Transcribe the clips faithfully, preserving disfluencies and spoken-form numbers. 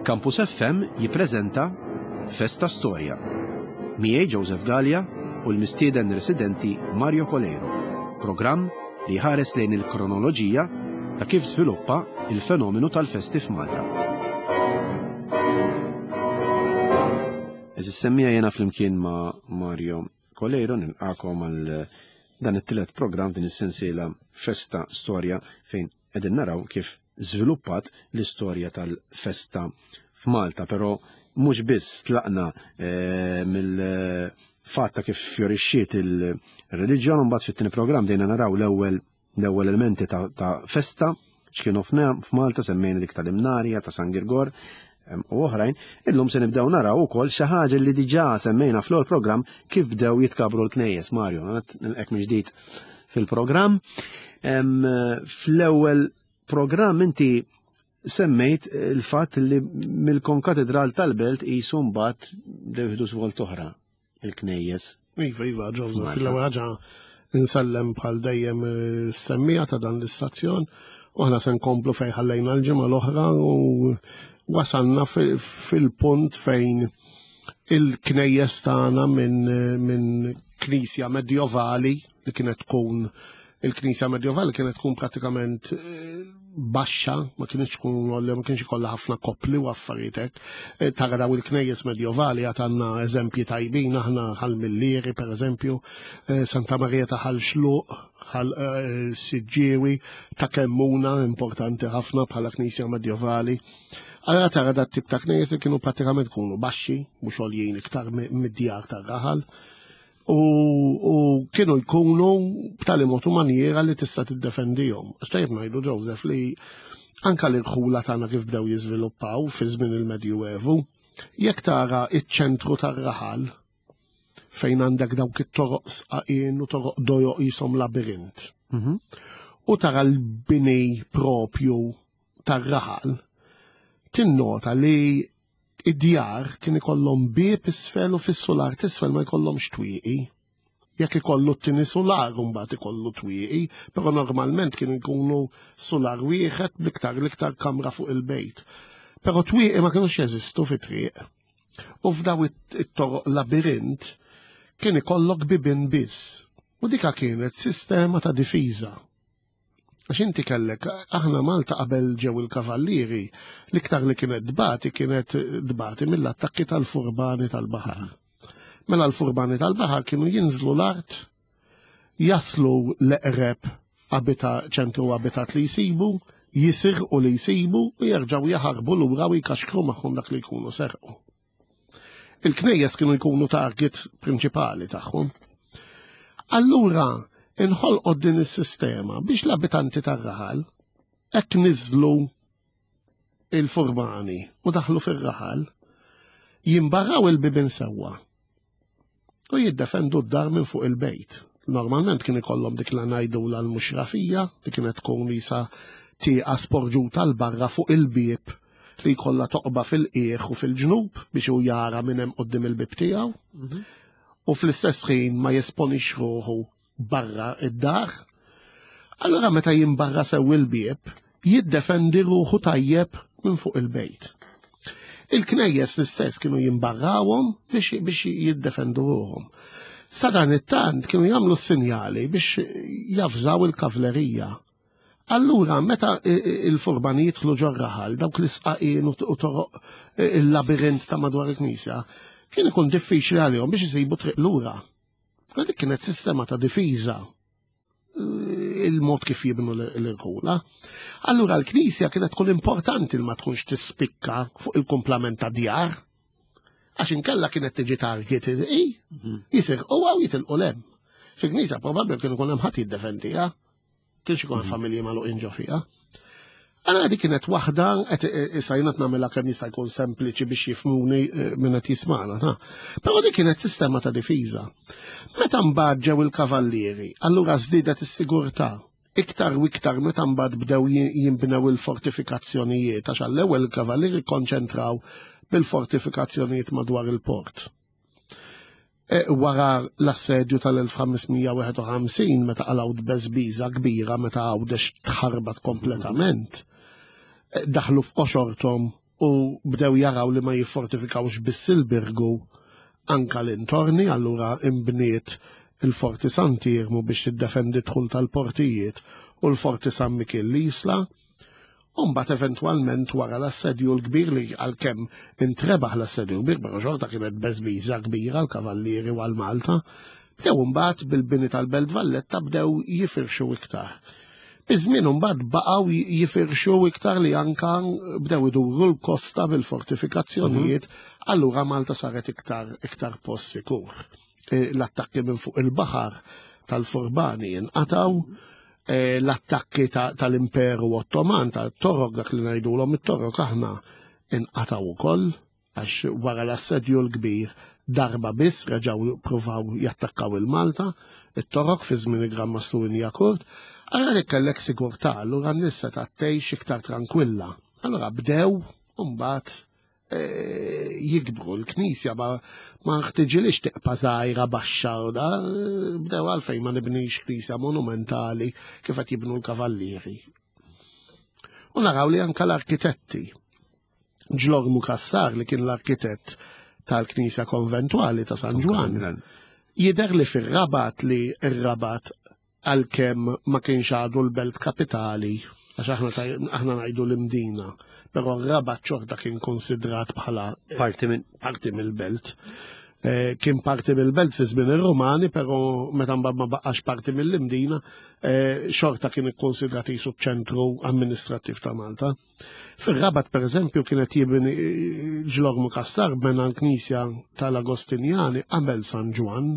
Campus F M jippreżenta Festa Storja. Miegħi Joseph Gallia u l-mistieden residenti Mario Coleiro. Programm li jħares lejn il-kronoloġija ta' kif żviluppa il-fenomenu tal-festi f'Malta. Eżis semmija, jena flimkien ma' Mario Coleiro nilqakom għal dan it-tielet programm din is-sensiela Festa Storja, fejn qegħdin naraw kif żviluppat l-istorja tal-festa f'Malta, però mhux biss tlaqna eh, mill-fatt ta' kif fjorixxiet il-reliġjon, mbagħad fit-tieni programm dejna naraw l-ewwel l-ewwel elementi ta', ta festa x'kienu f'Malta, semmejna dik tal-Imnarja, ta' San Girgor u oħrajn. Illum se nibdew naraw ukoll xi ħaġa li diġà semmejna fl programm, kif bdew jitkabru l-knejjes. Mario, nilqek minn ġdid fil-programm. Fl-ewwel programm inti semmejt il-fatt li mill-konkatedral tal-belt qisu mbagħad bdew jieħdu żvolt oħra il-knejjes. Iva, iva, Joseph, l-ewwel ħaġa insellem bħal dejjem is-semmiegħa ta' dan l-istazzjon u aħna se nkomplu fejn ħallejna l-ġimgħa l-oħra u wasalna fil-punt fejn il-knejjes tagħna minn min knisja medjovali li kienet tkun il-knisja medjovali kienet tkun pratikament eh, baxxa, ma kienx tkun ma kienx ikollha ħafna kopli u affarijiet hekk. Eh, tara daw il-knejjes medjovali, għad għandna eżempji tajbin aħna, Ħal Millieri per eżempju, eh, Santa Maria ta' Ħal Xluq, Ħal Siġġiewi, ta' Kemmuna, importanti ħafna bħala knisja medjovali. Allora tara dat tip ta' knejjes li kienu pratikament kunu baxxi, mhux għoljin iktar mid-djar tar-raħal. U, u kienu jkunu b'tali mod u maniera li tista' tiddefendihom. Għax tajjeb ngħidu, Joseph, li anka l-irħula tagħna kif bdew jiżviluppaw fi żmien il-Medjuevu, jekk tara iċ-ċentru tar-raħal fejn għandek dawk it-toroq sqaqien u toroq dojoq jisom labirint. Mhm. U tara l-bini propju tar-raħal, tinnota li id-djar kien ikollhom bieb isfel u fis-sular t'isfel ma jkollhomx twieqi. Jekk ikollu t-tieni sular, mbagħad ikollu twieqi, però normalment kienu jkunu sular wieħed bl-iktar l-iktar kamra fuq il-bejt. Però twieqi ma kienux jeżistu fit-triq. U f'daw it-toroq labirint kien ikollok bibin biss. U dika kienet sistema ta' difiża. Għax inti kellek, aħna Malta qabel ġew il-kavallieri, l-iktar li kienet dbati kienet dbati mill-attakki tal-furbani tal-baħar. Mela l-furbani tal-baħar kienu jinżlu l-art, jaslu l-eqreb abita ċentru abitat li jisibu, jisirqu li jisibu u jerġgħu jaħarbu lura u jkaxkru magħhom dak li jkunu serqu. Il-knejjes kienu jkunu target prinċipali tagħhom. Allura, inħolqot din is-sistema biex l-abitanti tar-raħal hekk niżlu il-furbani u daħlu fir-raħal, jimbarraw il-bibin sewwa u jiddefendu d-dar minn fuq il-bejt. Normalment kien ikollhom dik la ngħidu l-muxrafija li kienet tkun lisa tieqa sporġuta 'l barra fuq il-bieb li jkollha toqba fil-qiegħ u fil-ġnub biex hu jara minn hemm quddiem il-bieb tiegħu. U fl-istess ħin ma jesponix ruħu barra id-dar. Allora meta jimbarra sew il-bieb, jiddefendi ruħu tajjeb minn fuq il-bejt. Il-knejjes l-istess kienu jimbarrawhom biex, biex jiddefendu ruħhom. Sa dan it-tant kienu jagħmlu sinjali biex jafżaw il-kavlerija. Allura, meta il-furbani jidħlu ġor-raħal, dawk l-isqaqin u toroq il-labirint ta' madwar il-knisja, kien ikun diffiċli għalihom biex isibu triq lura. Dik kienet sistema ta' difiża, il-mod kif jibnu l-irħula. Allura l-knisja kienet tkun importanti li ma tkunx tispikka fuq il-kumplament ta' djar. Għax inkella kienet tiġi target i, jisir u għaw jitilqu lem. Fil-knisja probabbli kien ikun hemm ħadd jiddefendiha. Kienx ikun familji magħluqin ġo fiha. Għana dik kienet waħda, qed issa jiena nagħmilha kemm jista' jkun sempliċi biex jifhmuni minn qed jismagħna, ta. Però dik kienet sistema ta' difiża. Meta mbagħad ġew il-kavallieri, allura żdiedet is-sigurtà. Iktar u iktar meta mbagħad bdew jinbnew il-fortifikazzjonijiet, għax għall-ewwel il-kavallieri konċentraw bil-fortifikazzjonijiet madwar il-port. E, wara l-assedju tal-elf ħames mija wieħed u ħamsin, meta qalgħu tbeżbiża kbira, meta Għawdex tħarbat kompletament, e, daħlu f'qoxortom U bdew jaraw li ma jiffortifikawx biss il-Birgu, anka l-intorni, allura imbniet il-Forti Sant'Iermu biex tiddefendi dħul tal-portijiet u l-Forti San Mikiel l-Isla. U mbagħad eventwalment wara l-assedju l-kbir, li għalkemm intrebaħ l-assedju l-kbir, però xorta kienet beżbiża kbira l-Kavallieri u għal-Malta, bdew mbagħad bil-bini tal-Belt Valletta bdew jifirxu iktar. Biż-żmien mbagħad baqgħu jifirxu iktar li anka bdew iduru l-kosta bil-fortifikazzjonijiet, allura Malta saret iktar iktar post sikur. E, L-attakki minn fuq il-baħar tal-Furbani inqataw, e, l-attakki tal-Imperu Ottoman, tal-Torok, dak li ngħidulhom it-Torok aħna, inqataw ukoll, għax wara l-assedju l-kbir darba biss reġgħu pruvaw jattakkaw il-Malta, it-Torok fi żmien il-Gran Mastru Wignacourt. Allora li kellek sigurtà, allura n-nies ta' tgħix iktar tranquilla. Allora bdew mbagħad eh, jikbru l-knisja, ma ma ħtiġilix tiqpa' żgħira baxxa u da, bdew għalfejn ma nibnix knisja monumentali kif qed jibnu l-Kavallieri. U naraw li anka l-arkitetti. Ġlormu Cassar, li kien l-arkitett tal-Knisja Konventuali ta' San Ġwann, jidher li fir-Rabat, li ir-Rabat għalkemm ma kienx għadu l-belt kapitali, għax aħna taj- aħna ngħidu l-Imdina, però r-Rabat xorta kien konsidrat bħala Parti minn parti mill-belt. Eh, kien parti mill-belt fi żmien ir-Rumani, però meta mbagħad ma baqax parti mill-Imdina, eh, xorta kien ikkonsidrat jisu ċentru amministrattiv ta' Malta. Fir-Rabat, per eżempju, kienet jibni eh, Ġlormu Cassar bena l-Knisja tal-Agostinjani qabel San Ġwann,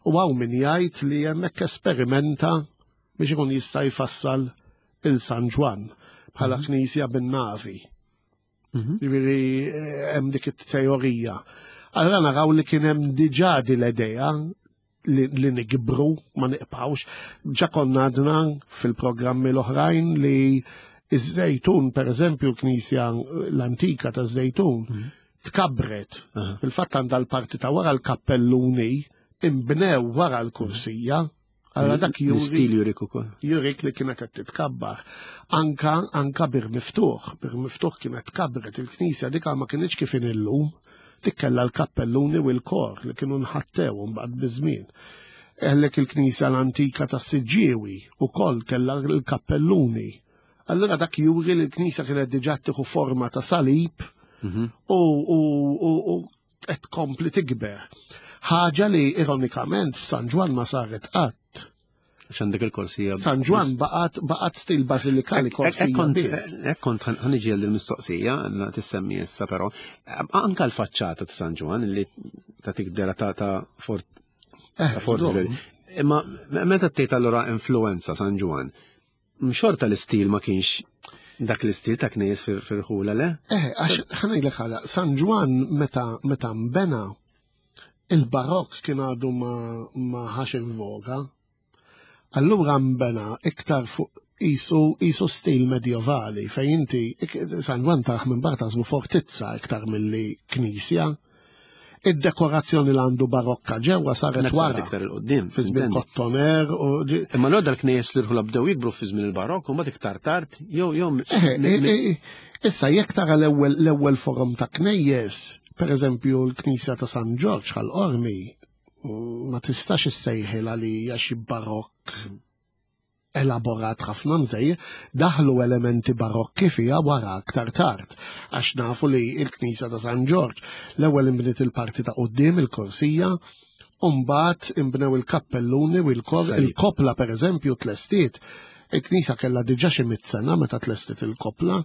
u hawn min jgħid li hemmhekk esperimenta biex ikun jista' jfassal il-San Ġwann bħala knisja bin-navi. Ġifieri eh, hemm dik it-teorija. Allora naraw li kien hemm diġà di l-idea li, li nikbru, ma niqpawx. Ġa konna għadna fil-programmi l-oħrajn li iż-Żejtun, per eżempju, l-knisja l-antika ta' Żejtun, tkabret. Fil-fatt għandha l-parti ta' wara, l-kappelluni imbnew wara l-kursija. Allora dak juri L-istil jurik ukoll. Jurik li kienet qed titkabbar. Anka anka Bir Miftuħ, Bir Miftuħ kienet kabret il-knisja, dik ma kienx kif illum, dik kellha l-kappelluni u l-kor li kienu nħattew mbagħad biż-żmien. Għellek il-knisja l-antika tas Siġġiewi ukoll kellha l-kappelluni. Allura dak juri li l-knisja kienet diġà tieħu forma ta' salib u u u u qed tkompli tikber. Ħaġa li ironikament f'San Ġwann ma saret qatt. Għax għandek il-korsija. San Ġwann baqgħet baqgħet stil bażilikali, korsija biss. Hekk kont ħa niġi l-mistoqsija, tissemmi issa però, anka l-faċċata ta' San Ġwann li ta' tikdera ta' ta' fort Eh, ta' fort. Żgur. Imma meta tgħid allura influenza San Ġwann, xorta l-istil ma kienx dak l-istil ta' knejjes fil-ħula, le? Eh, għax ħa ngħidlek ħala, San Ġwann meta meta mbena, il-barokk kien għadu ma ma ħax in voga. Allura mbena iktar fuq isu isu stil medjevali fejn inti ik- San Ġwann taraħ minn barra taħsbu fortizza iktar milli knisja. Id-dekorazzjoni li għandu barokka ġewwa saret Dak saret wara. iktar il-qoddim. Fi żmien intendi. Kottoner u ġi- Imma l dal-knejjes li rħula bdew jikbru fi żmien il-barokk u mbagħad iktar tard jew jew Eh, eh, eh, Issa jekk tara l-ewwel l-ewwel forom ta' knejjes, per eżempju l-Knisja ta' San Ġorġ Ħal Qormi, mm, ma tistax issejħilha li hija xi barokk elaborat ħafna mżej, daħlu elementi barokki fiha wara aktar tard, għax nafu li l-Knisja ta' San Ġorġ l-ewwel imbniet il-parti ta' quddiem, il-korsija, u mbagħad imbnew il-kappelluni u l-kor, Salib. il-kopla per eżempju tlestiet. Il-knisja kellha diġà xi mitt sena meta tlestiet il-kopla.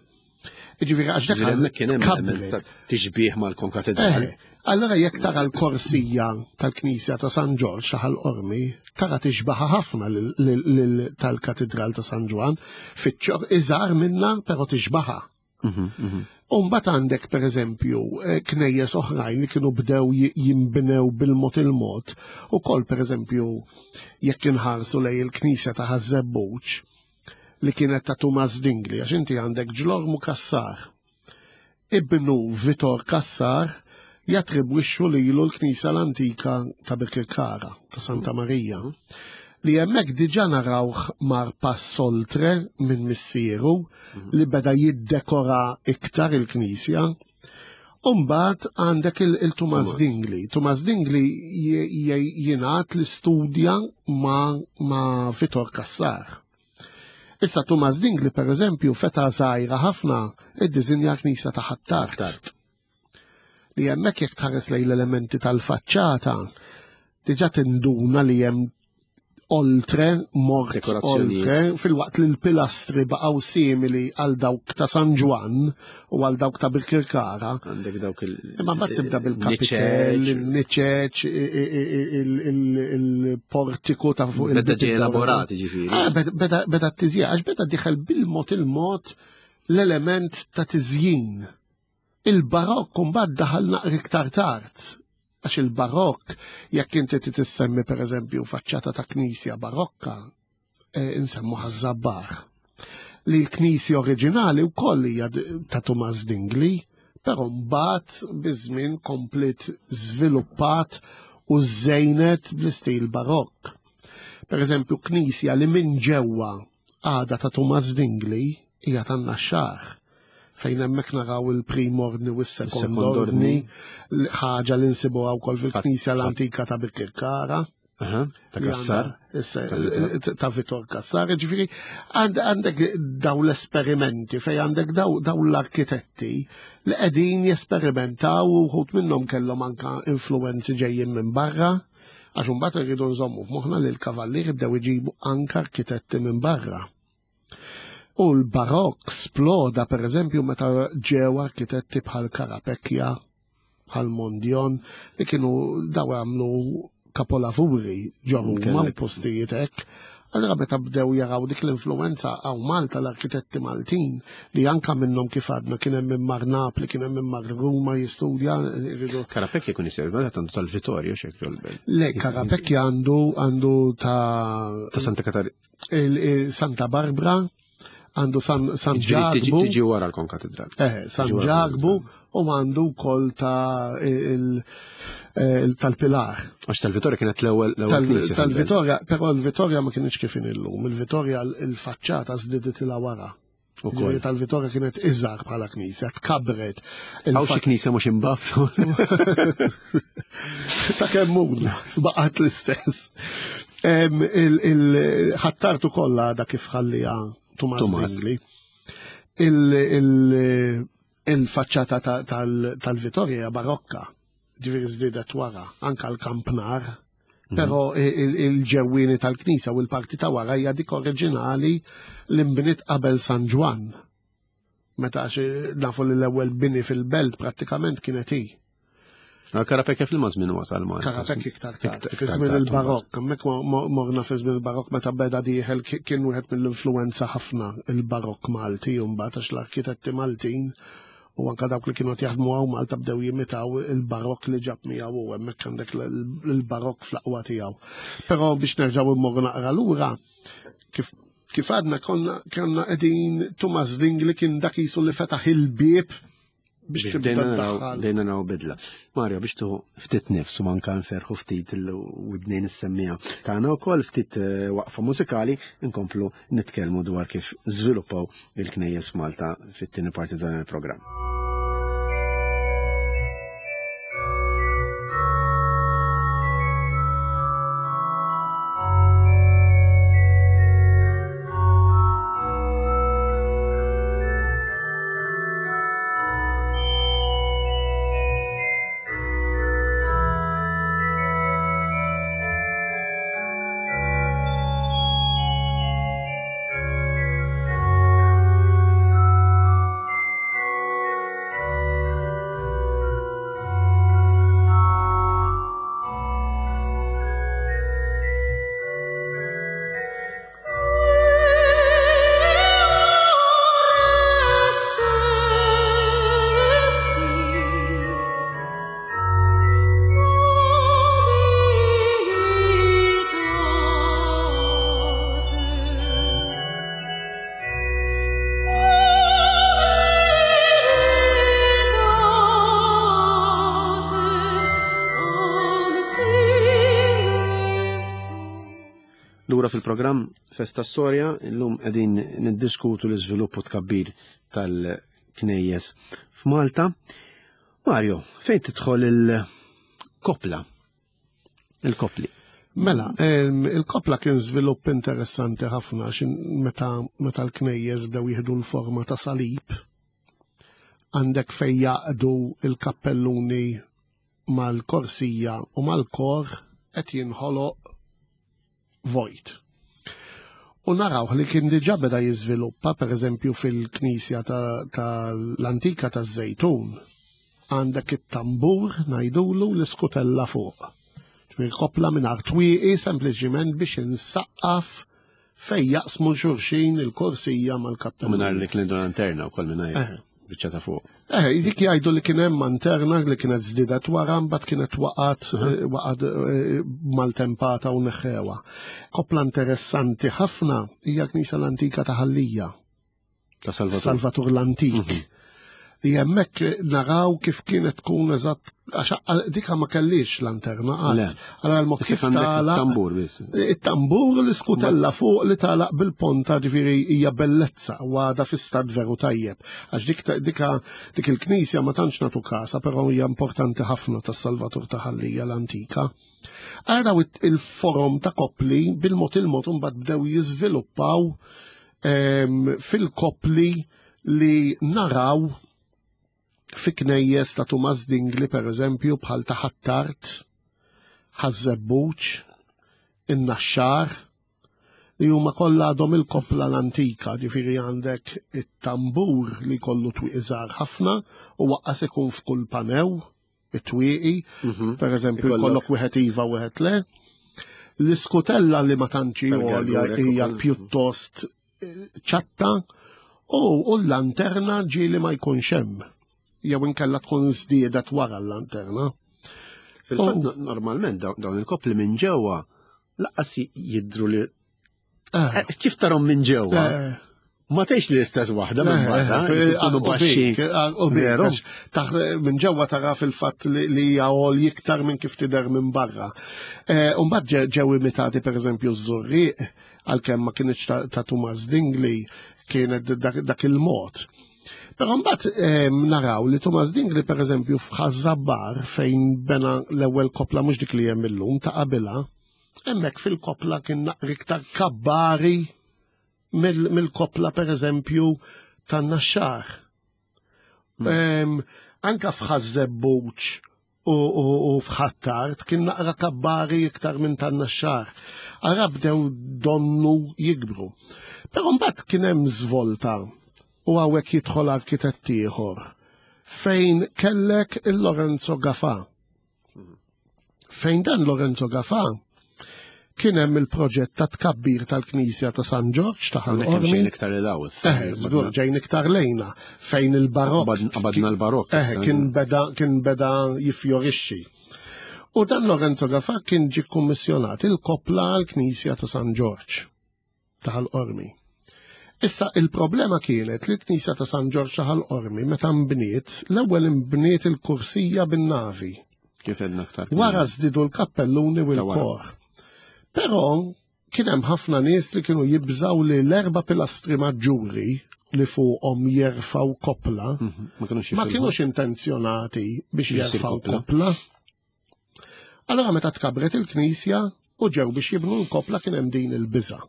Ġifieri għax dak Ġifieri kien hemm kabret. element ta' tixbih mal-konkatedral. Eh, allora jekk tara l-korsija tal-Knisja ta' San Ġorġ ta' Ħal Qormi, tara tixbaħa ħafna lil- lil- lil- tal-Katedral ta' San Ġwann, fiċ iżgħar minna, però tixbaħa. Mhm, mhm. U mbagħad għandek per eżempju eh, knejjes oħrajn li kienu bdew ji- jinbnew bil-mod il-mod. Ukoll per eżempju jekk inħarsu lej il-Knisja ta' Ħaż-Żebbuġ li kienet ta' Tumas Dingli, għax inti għandek Ġlormu Cassar. Ibnu Vitor Cassar jattribwixxu lilu l-Knisja l-antika ta' Birkirkara, ta' Santa Marija. Li hemmhekk diġà narawh mar pass oltre minn missieru li beda jiddekora iktar il-knisja. Umbagħad għandek il-Tumas Dingli. Tumas Dingli jingħad li studja ma', ma Vitor Cassar. Issa Tumas Dingli, per eżempju, feta żgħira ħafna iddiżinja knisja ta' Ħ'Attard. Li hemmhekk jekk tħares lejn l-elementi tal-faċċata, diġà tinduna li hemm oltre, mort oltre, fil-waqt li l-pilastri baqgħu simili għal dawk ta' San Ġwann u għal dawk ta' Birkirkara. Għandek dawk il- Imma mbagħad tibda bil-kapitell, il-niċeċ, il-portiku ta' fuq il- Beda ġie elaborati ġifieri. Ah, beda beda t-tiżjin, għax beda diħel bil-mod il-mod l-element ta' tiżjin. Il-barokk mbagħad daħal naqra iktar tard. Għax il-barokk, jekk inti tissemmi per eżempju faċċata ta' knisja barokka, insemmu Ħaż-Żabbar. Li l-knisja oriġinali wkoll hija ta' Tumas Dingli, però mbagħad biż-żmien komplet żviluppat u żejnet bl-istil barokk. Per eżempju, knisja li minn ġewwa għadha ta' Tumas Dingli hija tan-Naxxar, fejn hemmhekk naraw il-prim ordni u s-sekond ordni, ħaġa li nsibuha wkoll fil-knisja l-antika ta' Birkirkara. Ta' Cassar. Ta' Vitor Cassar, ġifieri għandek daw l-esperimenti fejn għandek daw l-arkitetti li qegħdin jesperimentaw u wħud minnhom kellhom anka influenzi ġejjin minn barra, għax imbagħad irridu nżommu f'moħħna li l-kavallieri bdew iġibu anka arkitetti minn barra. U l-barokk sploda, per eżempju, meta ġew arkitetti bħal Carapecchia, bħal Mondion, li kienu daw għamlu kapolavuri ġo Ruma u postijiet hekk. Allora meta bdew jaraw dik l-influenza għaw Malta l-arkitetti Maltin li anka minnhom kif għadna kien hemm minn mar Napli, kien hemm minn mar Ruma jistudja. Carapecchia kun isir, għandu tantu tal-Vittorio xek jolbel. Le, Carapecchia għandu għandu ta' ta' Santa Katarina. Santa Barbara, għandu San, San Ġakbu. Tiġi wara l-konkatedral. Eh, San Ġakbu u għandu wkoll ta' tal-Pilar. Għax tal-Vittoria kienet l-ewwel knisja. Tal-Vittoria, però l-Vittoria ma kienx kif illum. Il-Vittoria il-faċċata żdieditilha wara. Tal-Vittoria kienet iżgħar bħala knisja, tkabret. Hawn xi knisja mhux imbafsu. Ta' kemm baqgħet l-istess. Il-Ħ'Attard ukoll għadha kif ħallija Tumas Dingli. Il-faċċata tal-Vittoria barokka, ġifieri żdiedet wara, anka l-kampnar, però il-ġewwieni tal-knisja u l-parti ta' wara hija dik oriġinali li nbniet qabel San Ġwann. Meta għax nafu li l-ewwel bini fil-belt prattikament kienet hi. Carapecchia fil-mażmin wasal ma. Carapecchia iktar tard, fi żmien il-barokk, hemmhekk morna fi żmien il-barokk meta beda dieħel kien wieħed mill-influenza ħafna il-barokk Malti u mbagħad għax l-arkitetti Maltin u anka dawk li kienu jaħdmu hawn Malta bdew jimitaw il-barokk li ġab miegħu u hemmhekk għandek il-barokk fl-aqwa tiegħu. Però biex nerġgħu immorru naqra lura, kif kif għadna konna konna qegħdin Tumas Dingli kien dak qisu li fetaħ il-bieb biex bdejna naraw bidla. Mario, biex tuħu ftit nifs u manka nserħu ftit il-widnejn is-semmija tagħna wkoll ftit waqfa mużikali nkomplu nitkellmu dwar kif żviluppaw il-knejjes f'Malta fit-tieni parti dan il-programm. Lura fil-programm Festa Storja, illum qegħdin niddiskutu l-iżvilupp u tkabbir tal-knejjes f'Malta. Mario, fejn tidħol il-kopla? Il-kopli. Mela, il-kopla kien żvilupp interessanti ħafna meta meta l-knejjes bdew jieħdu l-forma ta' salib. Għandek fejn jaqdu il-kappelluni mal-korsija u mal-kor qed jinħoloq vojt. U naraw li kien diġà beda jiżviluppa, per eżempju fil-knisja tal-antika ta taż-Żejtun, għandek it-tambur ngħidulu l-iskutella fuq. Ġifieri kopla mingħajr twieqi sempliċiment biex insaqqaf fejn jaqsmu xulxin il-korsija mal-kappellun. Mingħajr li kien lanterna wkoll mingħajr biċċa ta' fuq. Eh, dik jgħidu li kien hemm lanterna li kienet żdiedet wara mbagħad kienet waqgħet waqgħet maltempata u neħħewha. Kopla interessanti ħafna hija knisja l-antika ta' Ħal Lija. Ta' Salvatur. Salvatur l-Antik. Li hemmhekk naraw kif kienet tkun eżatt għax dika ma kellix lanterna qatt. Allora l-mod kif tagħlaq. Tambur biss. It-tambur l-iskutella fuq li tagħlaq bil-ponta, ġifieri hija bellezza u għadha fi stat veru tajjeb. Għax dik dika dik il-knisja ma tantx nagħtu kasa, però hija importanti ħafna tas-Salvatur ta' Ħal Lija l-antika. Għaraw il-forom ta' kopli bil-mod il-mod imbagħad bdew jiżviluppaw fil-kopli li naraw fi knejjes ta' Tumas Dingli, per eżempju, bħal ta' Ħ'Attard, Ħaż-Żebbuġ, in-Naxxar, li huma kollha għadhom il-kopla l-antika, ġifieri għandek it-tambur li kollu twieqi żgħar ħafna u waqqas ikun f'kull panew it-twieqi, per eżempju, jkollok wieħed iva u wieħed le. L-iskutella li ma tantx għolja hija pjuttost ċatta u l-lanterna ġieli ma jkunx hemm. Jew inkella tkun żdiedet wara l-lanterna. Fil-fatt normalment dawn il-kopli minn ġewwa laqqas jidru li kif tarhom minn ġewwa. Ma tgħix li l-istess waħda minn barra, ikunu baxxi. Minn ġewwa tara fil-fatt li hija għol iktar minn kif tidher minn barra. U mbagħad ġew imitati pereżempju ż-Żurrieq, għalkemm ma kienx ta' Tumas Dingli, kienet dak il-mod. Però mbagħad naraw li Tumas Dingli pereżempju f'Ħaż-Żabbar fejn bena l-ewwel kopla mhux dik li hemm illum ta' qabilha, hemmhekk fil-kopla kien naqra iktar kabbari mill-kopla pereżempju tan-Naxxar. Anka f'Ħaż-Żebbuġ u f'Ħ'Attard kien naqra kabbari iktar minn tan-Naxxar. Ara bdew donnu jikbru. Però mbagħad kien hemm żvolta u hawnhekk jidħol arkitett ieħor fejn kellek il-Lorenzo Gafà. Fejn dan Lorenzo Gafà kien hemm il-proġett ta' tkabbir tal-Knisja ta' San Ġorġ ta' Ħal Qormi. Ġejn iktar il Eh, żgur ġejn iktar lejna fejn il-barokk. Qabadna l-barokk. Eh, kien beda kien beda jiffjorixxi. U dan Lorenzo Gafà kien ġie kkummissjonat il-kopla għall-Knisja ta' San Ġorġ ta' Ħal Qormi. Issa il-problema kienet li l-Knisja ta' San Ġorġ ta' Ħal Qormi meta nbniet, l-ewwel inbniet il-kursija bin-navi. Kif għedna aktar. Wara żdiedu l-kappelluni u l-kor. Però kien hemm ħafna nies li kienu jibżaw li l-erba' pilastri maġġuri li fuqhom jerfgħu kopla ma kienux intenzjonati biex jerfgħu kopla. Allora meta tkabret il-knisja u ġew biex jibnu l-kopla kien hemm din il-biża'.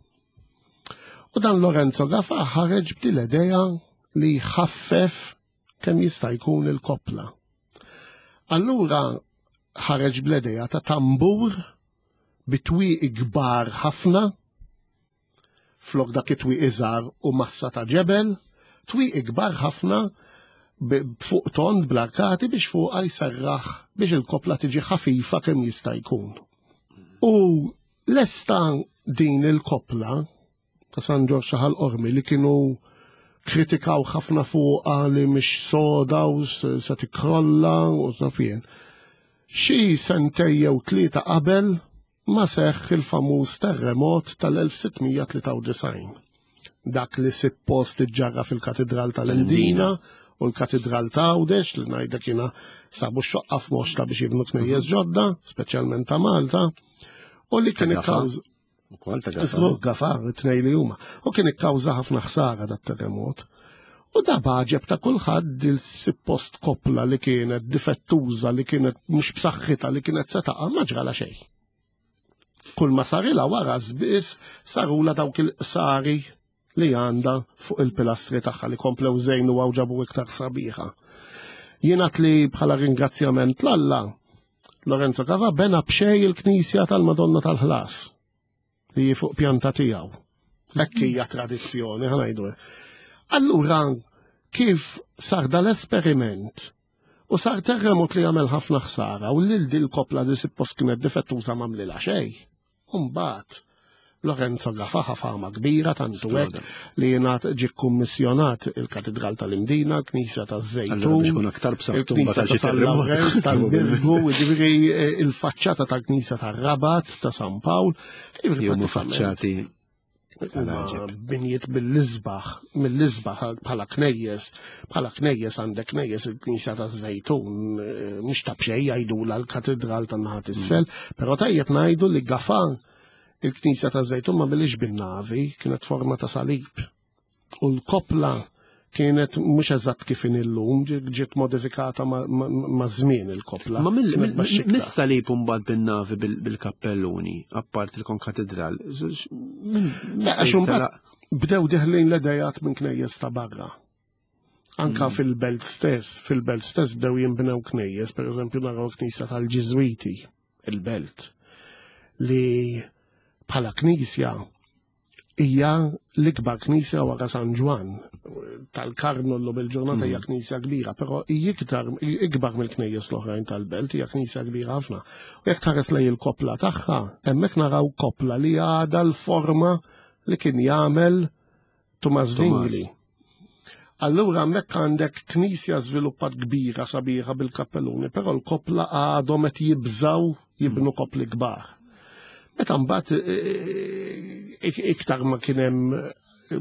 U dan Lorenzo Gafà ħareġ b'din l-idea li jħaffef kemm jista' jkun il-kopla. Allura ħareġ bl-idea ta' tambur bitwieqi kbar ħafna, flok dak it-twieqi żgħar u massa ta' ġebel, twieqi kbar ħafna fuq tond bl-arkati biex fuqha jserraħ biex il-kopla tiġi ħafifa kemm jista' jkun. U lesta din il-kopla ta' San Ġorġ ta' Ħal Qormi li kienu kritikaw ħafna fuqha li mhix soda u se tikkrolla u taf jien. Xi sentej jew tlieta qabel ma seħħ il-famuż terremot tal-elf sitt mija tlieta u disgħin. Dak li suppost iġġarra fil-Katedral tal-Imdina u l-Katedral ta' Għawdex li ngħidlek jiena sabu x-xoqqa f'moxta biex jibnu knejjes ġodda, speċjalment ta' Malta, u li kien ikkawż Ukoll ta' Gafà. Żgur Gafà, it-tnejn li huma. U kien ikkawża ħafna ħsara dat-terremot. U da b'għaġeb ta' kulħadd il-suppost kopla li kienet difettuża, li kienet mhux b'saħħitha, li kienet se taqa', ma ġrala xejn. Kull ma sarilha wara biss sarula dawk il-qsari li għandha fuq il-pilastri tagħha li komplew żejnu u ġabu iktar sabiħa. Jingħad li bħala ringrazzjament l-Alla, Lorenzo Gafà bena b'xejn il-Knisja tal-Madonna tal-Ħlas li fuq pjanta tiegħu. Hekk hija tradizzjoni, ħa ngħidu. Allura, kif sar dal-esperiment u sar terremot li għamel ħafna ħsara u lil dil kopla li suppost kienet difettuża m'għamlilha xejn. Umbagħad Lorenzo Gafà ħa fama kbira tantu hekk li jingħad ġie kummissjonat il-Katedral tal-Imdina, l-Knisja taż-Żejtun, il-Knisja ta' San Lawrenz tal-Birgu, jiġifieri il-faċċata tal-Knisja tar-Rabat ta' San Pawl. Huma faċċati binjiet mill-isbaħ, mill-isbaħ bħala knejjes, bħala knejjes għandek knejjes il-Knisja taż-Żejtun, mhux ta' b'xejn jgħidulha l-Katedral tan-naħa t'isfel, però tajjeb ngħidu li Gafà il-Knisja taż-Żejtun ma għamilhiex bin-navi, kienet forma ta' salib. U l-kopla kienet mhux eżatt kif illum, ġiet modifikata ma' żmien il-kopla. Ma mis-salib mbagħad bin-navi bil-kappelluni, apart il-konkatedral. Għax imbagħad bdew deħlin l-idejat minn knejjes ta' barra. Anka fil-belt stess, fil-belt stess bdew jinbnew knejjes, per eżempju naraw knisja tal-Ġiżwiti, il-belt, li bħala knisja hija l-ikbar knisja wara San Ġwann tal-Karmnu llum il-ġurnata hija knisja kbira, però hija iktar ikbar mill-knejjes l-oħrajn tal-belt, hija knisja kbira ħafna. U jekk tħares lejn il-kopla tagħha, hemmhekk naraw kopla li għadha l-forma li kien jagħmel Tumas Dingli. Allura hemmhekk għandek knisja żviluppat kbira sabiħa bil-kappelluni, però l-kopla għadhom qed jibżaw jibnu kopli kbar. Meta mbagħad iktar ma kien hemm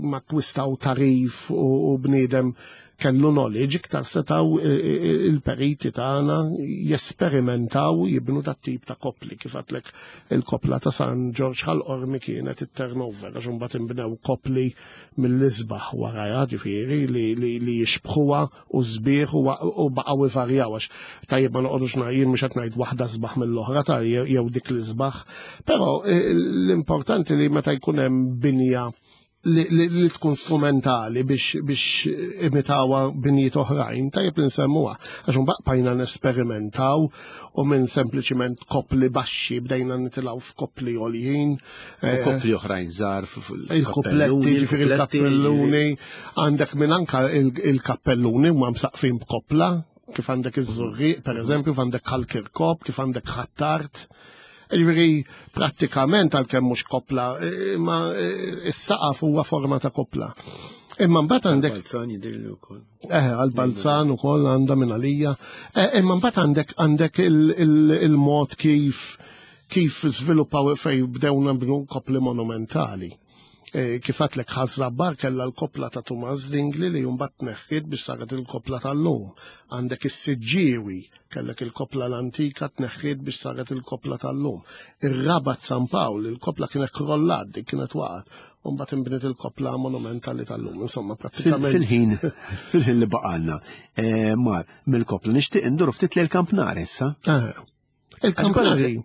ma akkwistaw tagħrif u bniedem kellu knowledge, iktar setaw il-periti tagħna jesperimentaw jibnu dat tip ta' kopli, kif għedtlek il-kopla ta' San Ġorġ Ħal-Qormi kienet it-turnover, għax imbagħad inbnew kopli mill-isbaħ warajha, ġifieri li, li, li jixbħuha u sbieħ u, u baqgħu ivarjaw, għax tajjeb ma noqogħdux jien mhux qed ngħid waħda sbaħ mill-oħra ta' jew dik l-isbaħ, però l-importanti li meta jkun hemm binja li, li, li tkun strumentali biex, biex imitawa binjiet oħrajn, tajjeb li nsemmuha. Għax mbagħad bqajna nesperimentaw u minn sempliċiment kopli baxxi bdejna nitilgħu f'kopli għoljin. U kopli oħrajn żgħar Il-kupletti, ġifieri il-kappelluni, għandek minn anka il-kappelluni huma msaqfin b'kopla, kif għandek iż-Żurrieq, per eżempju, kif għandek Ħal-Kirkop, kif għandek Ħ'Attard. Ġifieri, prattikament għalkemm mhux kopla, imma is-saqaf huwa forma ta' kopla. Imma mbagħad għandek Balzan jidhirli wkoll. Eh, għal-Balzan ukoll għandha minn għalija. Imma mbagħad għandek għandek il-mod kif kif żviluppaw fejn bdew nabnu kopli monumentali. Kif għedtlek Ħaż-Żabbar kellha l-kopla ta' Tumas Dingli li mbagħad tneħħiet biex saret il-kopla tal-lum. Għandek is-Siġġiewi, kellek il-kopla l-antika tneħħiet biex saret il-kopla tal-lum. Ir-Rabat San Pawl, il-kopla kienet krollat, dik kienet waqgħet. U mbagħad inbniet il-kopla monumentali tal-lum. Insomma, prattikament. Fil-ħin, fil-ħin li baqalna. Mar, mill-kopla nixtieq induru ftit lejn kampnar issa. Il-kampnari.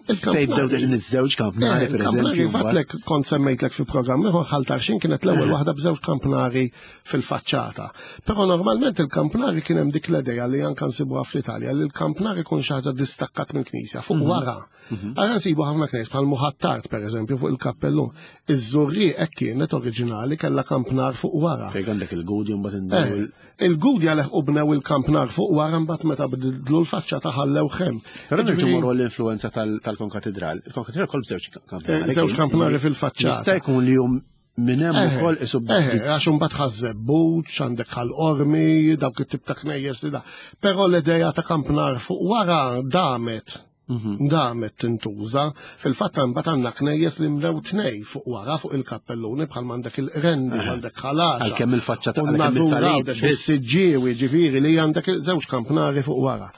Fejn bdew din iż-żewġ kampnari, per eżempju. Għedtlek kont semmejtlek fi programm ieħor Ħal Tarxien kienet l-ewwel waħda b'żewġ kampnari fil-faċċata. Però normalment il-kampnari kien hemm dik l-idea li anke nsibuha fl-Italja li l-kampnari jkun xi ħaġa distakkat mill-knisja fuq wara. Għara nsibu ħafna knejjes bħal Muħattart per eżempju fuq il-kappellun. Iż-Żurrieq hekk kienet oriġinali kellha kampnar fuq wara. Fejn għandek il-Gudja mbagħad inbnew Il-Gudja leħqu bnew il-kampnar fuq wara mbagħad meta bidlu l-faċċata ħallew ħem. Però nerġgħu morru l-influenza tal-konkatedral. Il-konkatedral kol b'żewġ kampnari. Żewġ kampnari fil-faċċata. Jista' jkun li jum minn hemm ukoll isu Eh, għax imbagħad Ħaż-Żebbuġ, għandek Ħal-Qormi, dawk it-tip ta' knejjes li da. Però l-idea ta' kampnar fuq wara damet. Damet tintuża. Fil-fatt imbagħad għandna knejjes li mlew tnej fuq wara fuq il-kappelluni bħal m'għandek il-Qrendi, għandek Ħal Għaxaq. Għalkemm il-faċċata, U għalkemm n-natura is-salib għandek biss. is-Siġġiewi, ġifieri li għandek żewġ kampnari fuq wara.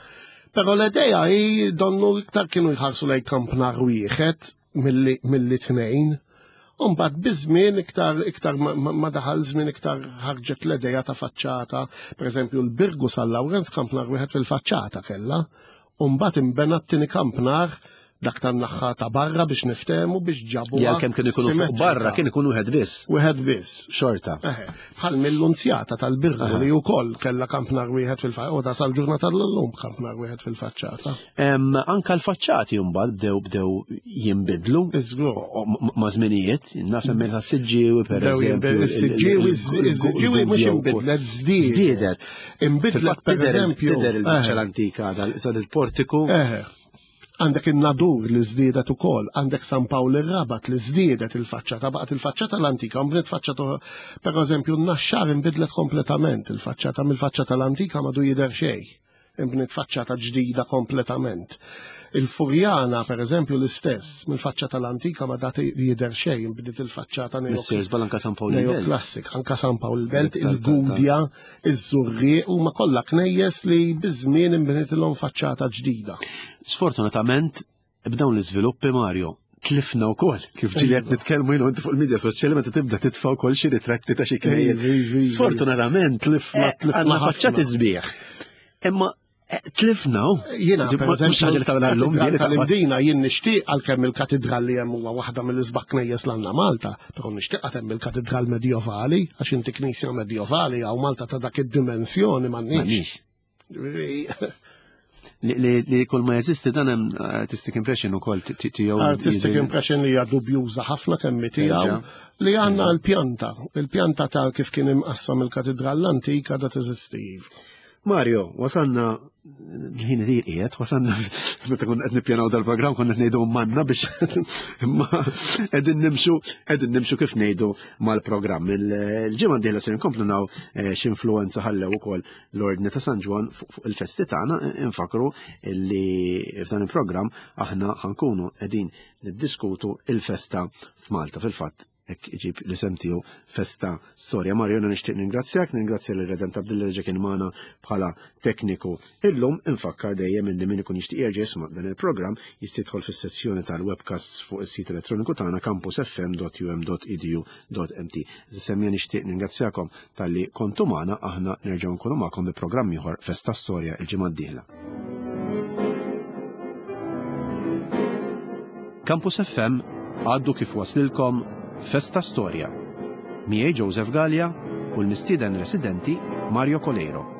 Però l-idea hi donnu iktar kienu jħarsu lejn kampnar wieħed milli tnejn. Umbagħad biż-żmien iktar iktar ma daħal żmien iktar ħarġet l-idea ta' faċċata. Pereżempju l-Birgu San Lawrenz kampnar wieħed fil-faċċata kellha. Umbagħad inbena t-tieni kampnar dak tan-naħħa ta' barra biex niftehmu biex ġabu. Ja kemm kienu jkunu fuq barra kien ikun wieħed biss. Wieħed biss. Xorta. Bħal mill-Lunzjata tal-Birgu li wkoll kellha kampnar wieħed fil-faċċata, u da sal-ġurnata tal-lum kampnar wieħed fil-faċċata. Anka l-faċċati mbagħad bdew bdew jinbidlu. Iżgur. Ma' żminijiet, naf semmejt tas-Siġġiewi pereżempju. Is-Siġġiewi is-Siġġiewi mhux inbidlet, żdiedet. Żdiedet. Inbidlet pereżempju. Tidher il-biċċa l-antika dal il-portiku. Għandek in-Nadur li żdiedet ukoll, għandek San Pawl ir-Rabat li żdiedet il-faċċata, baqgħet il-faċċata l-antika, mbniet faċċata, per eżempju n-Naxxar inbidlet kompletament il-faċċata, mill-faċċata l-antika madu jidher xejn, imbniet faċċata ġdida kompletament. Il-Furjana, per eżempju, l-istess, mill-faċċata l-antika ma dat jidher xejn, imbniet il-faċċata neoklassik, anka San Pawl il-Belt, il-Gudja, iż-Żurrieq, huma kollha knejjes li biż-żmien imbniet ilhom faċċata ġdida. Sfortunatament, b'dawn l-iżviluppi, Mario, tlifna wkoll, kif ġieli qed nitkellmu jien u inti fuq il-medja soċjali meta tibda titfa' wkoll xi ritratti ta' xi knejjes. Sfortunatament, tlifna, tlifna għandna faċċati sbieħ. Imma tlifna u. Jiena, per mhux ħaġa li tagħmilha llum, eżempju, tal-Imdina jien nixtieq għalkemm il-katedral li hemm huwa waħda mill-isbaħ knejjes l għandna Malta, però nixtieq għad hemm il-katedral medjovali, għax inti knisja medjovali hawn Malta ta' dak id-dimensjoni m'għandniex. Li li kull ma jeżisti dan hemm artistic impression ukoll tiegħu. Artistic impression li hija dubjuża ħafna kemm tiegħu li għandna l-pjanta, il-pjanta ta' kif kien imqassam il-katedral l-antika da teżisti. Mario, wasalna l-ħin idir qiegħed, wasalna meta konna qed nippjanaw dal-programm konna qed ngħidu manna biex imma qegħdin nimxu qegħdin nimxu kif ngħidu mal-programm. Il-ġimgħa d-dieħla se nkomplu naw x'influwenza ħallew ukoll l-Ordni ta' San Ġwann fuq il-festi tagħna. Infakru li f'dan il-programm aħna ħankunu qegħdin niddiskutu il-festa f'Malta. Fil-fatt hekk iġib l-isem tiegħu Festa Storja. Mario, jiena nixtieq ningrazzjak, ningrazzja lil Redent Abdilla li ġa kien magħna bħala tekniku illum. Infakkar dejjem illi min ikun jixtieq jerġa' jisma' dan il-programm jista' jidħol fis-sezzjoni tal-webcasts fuq is-sit elettroniku tagħna campus f m dot u m dot e d u dot m t. Semmija nixtieq ningrazzjakom talli kontu magħna, aħna nerġgħu nkunu magħkom bi programm ieħor Festa Storja il-ġimgħa d-dieħla. Campus F M għaddu kif waslilkom Festa Storja. Miegħi Joseph Galea u l-mistieden residenti Mario Coleiro.